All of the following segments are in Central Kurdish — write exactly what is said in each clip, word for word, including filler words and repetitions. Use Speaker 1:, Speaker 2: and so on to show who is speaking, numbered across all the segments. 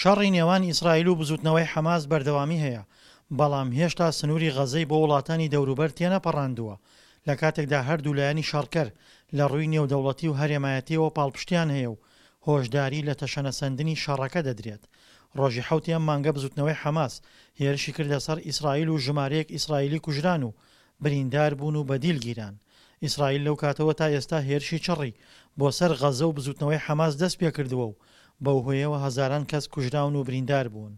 Speaker 1: شەڕی نێوان ئیسرائیل و بزوتنەوەی حەماس بەردەوامی هەیە، بەڵام هێشتا سنووری غەزەی بۆ وڵاتانی دەوروبەر تێنەپەڕاندووە، لە کاتێکدا هەردوو لایەنی شەڕکەر لە ڕووی نێودەوڵەتی و هەرێمایەتییەوە پاڵپشتیان هەیە و هۆشداری لە تەشەنەسەندنی شەڕەکە دەدرێت. ڕۆژی حەوتی ئەم مانگە بزوتنەوەی حەماس هێرشی کردە سەر ئیسرائیل و ژمارەیەک ئیسرائیلی کوژران و بریندار بوون و بەدیل گیران. ئیسرائیل لەو کاتەوە تا ئێستا هێرشی چڕی بۆ سەر غەزە و بزوتنەوەی حەماس دەستپێکردووە و بەو هۆیەوە هەزاران کەس کوژراون و بریندار بوون.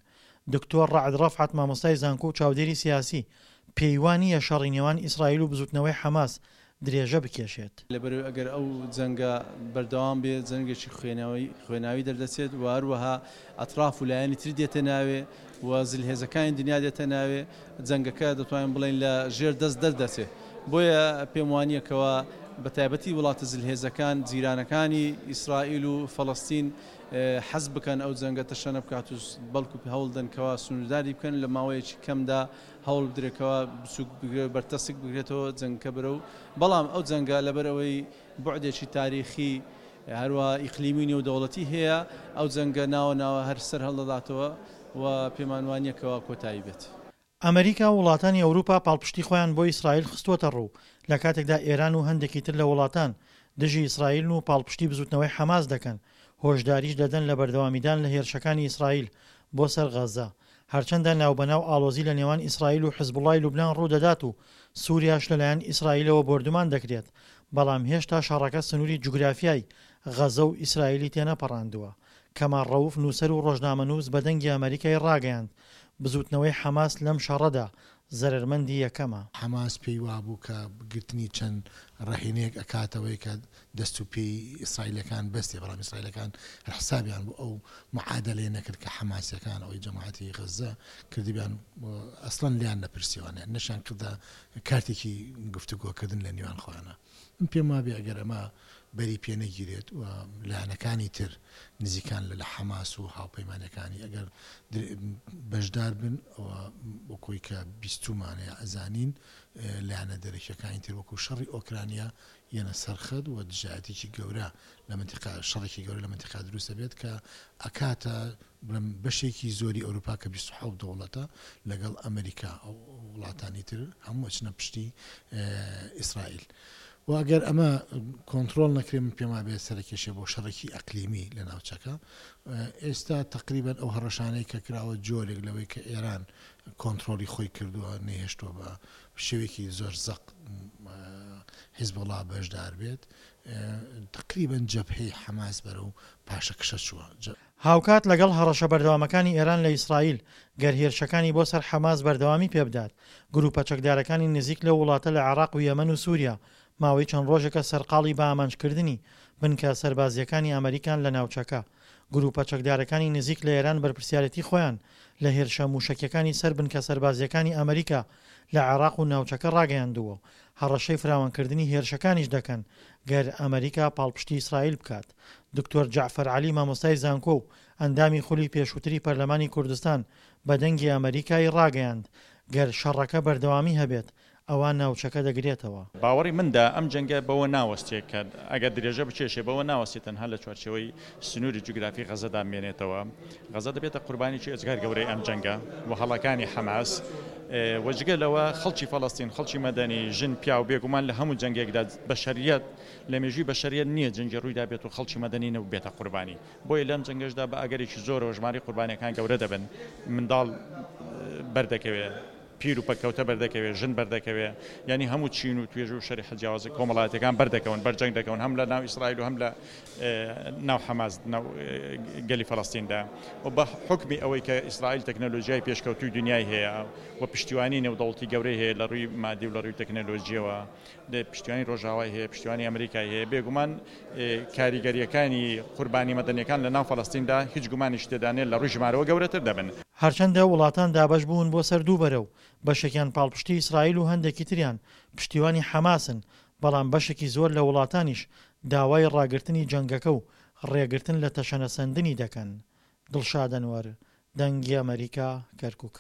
Speaker 1: دکتۆر ڕەعد ڕەفعەت مامۆستای زانکۆ و چاودێری سیاسی پێی وا نییە شەڕی نێوان ئیسرائیل و بزوتنەوەی حەماس درێژە بکێشێت.
Speaker 2: لەبەرئەوەی ئەگەر ئەو جەنگە بەردەوام بێت جەنگێکی خوێناوی دەردەچێت و هەروەها ئەتراف و لایەنی تر دێتە ناوێ و زلهێزەکانی دنیا دێتە ناوێ، جەنگەکە دەتوانین بڵێین لە ژێر دەست دەردەچێت. بۆیە پێم وانییە کەوا بە تایبەتی وڵاتە زلهێزەکان جیرانەکانی ئیسرائیل و فەڵەستین حەز بکەن ئەو جەنگە تەشەنە بکات و بەڵکو هەوڵدەن کەوا سنوورداری بکەن لە ماوەیەکی کەمدا هەوڵ بدرێت کەوا بچووک بگرێت بەرتەسک بگرێتەوە جەنگەکە بەرەو، بەڵام ئەو جەنگە لەبەرئەوەی بوعدێکی تاریخی هەروە ئیقلیمی و نێودەوڵەتی هەیە، ئەو جەنگە ناوە ناوە هەر سەر هەڵدەداتەوە و پێمان وانییە کەوا کۆتایی بێت.
Speaker 1: ئەمریکا و وڵاتانی ئەوروپا پاڵپشتی خۆیان بۆ ئیسرائیل خستووەتەڕوو، لە کاتێکدا ئێران و هەندێکی تر لە وڵاتان دژی ئیسرائیلن و پاڵپشتی بزوتنەوەی حەماس دەکەن، هۆشداریش دەدەن لە بەردەوامیدان لە هێرشەکانی ئیسرائیل بۆ سەر غەززە. هەرچەندە ناوبەناو ئاڵۆزی لە نێوان ئیسرائیل و حزبوڵای لوبنان ڕوودەدات و سوریاش لەلایەن ئیسرائیلەوە بۆردومان دەکرێت، بەڵام هێشتا شەڕەکە سنووری جوگرافیای غەزە و ئیسرائیلی تێنەپەڕاندووە. کەمال ڕەوف نووسەر و ڕۆژنامەنووس بە دەنگی ئەمەریکای ڕاگەیاند، بزووتنەوەی حەماس لەم شەڕەدا زەرەرمەندی یەکەمە.
Speaker 3: حەماس پێی وابوو کە گرتنی چەند ڕەهینەیەک ئەکاتەوەی کە دەست و پێی ئیسرائیلەکان بەستێ، بەڵام ئیسرائیلەکان هەر حسابیان بۆ ئەو معادەلەیە نەکرد کە حەماسیەکان ئەوەی جەماعەتی غەززە کردبیان، ئەسڵەن لێیان نەپرسیوانە، نەشیان کردە کارتێکی گفتوگۆکردن لە نێوان خۆیانە. من پێم وابێ ئەگەر ئەمە بەری پێ نەگیرێت و لایەنەکانی تر نزیکان لە حەماس و هاوپەیمانەکانی ئەگەر بەشدار بن، ئەوە وەکۆی کە بیستومانە یا ئەزانین لایەنە دەرەکیەکانی تر وەکو شەڕی ئۆکرانیا یەنە سەرخەت و دژایەتێکی گەورە لە منتیقا، شەڕێکی گەورە لە منتیقا دروست دەبێت کە ئەکاتە بڵێم بەشێکی زۆری ئەوروپا کە بیست و حەوت دەوڵەتە لەگەڵ ئەمریکا ئەو وڵاتانی تر هەموو ئەچنە پشتی ئیسرائیل. و ئەگەر ئەمە کۆنترۆڵ نەکرێت من پێم وابێت سەرکێشێ بۆ شەڕێکی ئەقلیمی لە ناوچەکە. ئێستا تقریبا ئەو هەڕەشانەی کە کراوە جۆرێک لەوەی کە ئێران کۆنترۆڵی خۆی کردووە، نەیهێشتووە بە شێوەیەکی زۆر زەق حیزبوڵا بەشدار بێت، تقریبا جەبهەی حەماس بەرەو پاشەکشە چووە.
Speaker 1: هاوکات لەگەڵ هەڕەشە بەردەوامەکانی ئێران لە ئیسرائیل، گەر هێرشەکانی بۆ سەر حەماس بەردەوامی پێبدات، گروپە چەکدارەکانی نزیک لەو وڵاتە لە عێراق و یەمەن و سوریا ماوەی چەند ڕۆژێکە سەرقاڵی بە ئامانجکردنی بنکە سەربازییەکانی ئەمریکان لە ناوچەکە. گروپە چەکدارەکانی نزیک لە ئێران بەرپرسیارێتی خۆیان لە هێرشە موشەکیەکانی سەر بنکە سەربازییەکانی ئەمریکا لە عێراق و ناوچەکە ڕاگەیاندووە و هەڕەشەی فراوانکردنی هێرشەکانیش دەکەن گەر ئەمریکا پاڵپشتی ئیسرائیل بکات. دکتۆر جەعفەر عەلی مامۆستای زانکۆ و ئەندامی خولی پێشووتری پەرلەمانی کوردستان بە دەنگی ئەمریکای ڕاگەیاند گەر شەڕەکە بەردەوامی هەبێت ئەوا ناوچەکە دەگرێتەوە.
Speaker 4: باوەڕی مندا ئەم جەنگە بەوە ناوەستێ کە ئەگەر درێژە بکێشێ بەوە ناوەستێ تەنها لە چوارچێوەی سنووری جوگرافی غەزەدا بمێنێتەوە. غەزە دەبێتە قوربانێکی ئێجگار گەورەی ئەم جەنگە و هەڵەکانی حەماس و جگە لەوە خەڵکی فەڵەستین، خەڵکی مەدەنی، ژن، پیاو، بێگومان لە هەموو جەنگێکدا بەشەریەت لە مێژووی بەشەریەت نییە جەنگی ڕوویدا بێت و خەڵکی مەدەنی نەبووبێتە قوربانی. بۆیە لەم جەنگەشدا بە ئەگەرێکی زۆرەوە ژمارەی قوربانیەکان گەورە دەبن، منداڵ بەردەکەوێ، پیر و پەککەوتە بەردەکەوێ، ژن بەردەکەوێ، یانی هەموو چین و توێژ و شەریحە جیاوازە کۆمەڵایەتیەکان بەردەکەون، بەرجەنگ دەکەون هەم لە ناو ئیسرائیل و هەم لە ناو حەماس، ناو گەلی فەلەستیندا. و بە حوکمی ئەوەی کە ئیسرائیل تەکنەلۆژیای پێشکەوتووی دنیای هەیە و پشتیوانی نێودەوڵەتی گەورەی هەیە لە ڕووی مادی و لە ڕووی تەکنەلۆژیەوە، پشتیوانی ڕۆژاوای هەیە، پشتیوانی ئەمریکای هەیە، بێگومان کاریگەریەکانی قوربانی مەدەنیەکان لە ناو فەلەستیندا هیچ گومانیش تێدا نیە لە ڕووی ژمارەوە گەورەتر دەبن.
Speaker 1: هەرچەندە وڵاتان دابەش بوون بۆ سەر دوو بەرە و بەشێکیان پاڵپشتی ئیسرائیل و هەندێکی تریان پشتیوانی حەماسن، بەڵام بەشێکی زۆر لە وڵاتانیش داوای ڕاگرتنی جەنگەکە و ڕێگرتن لە تەشەنەسەندنی دەکەن. دڵشاد ئەنوەر، دەنگی ئەمەریکا، کەرکوک.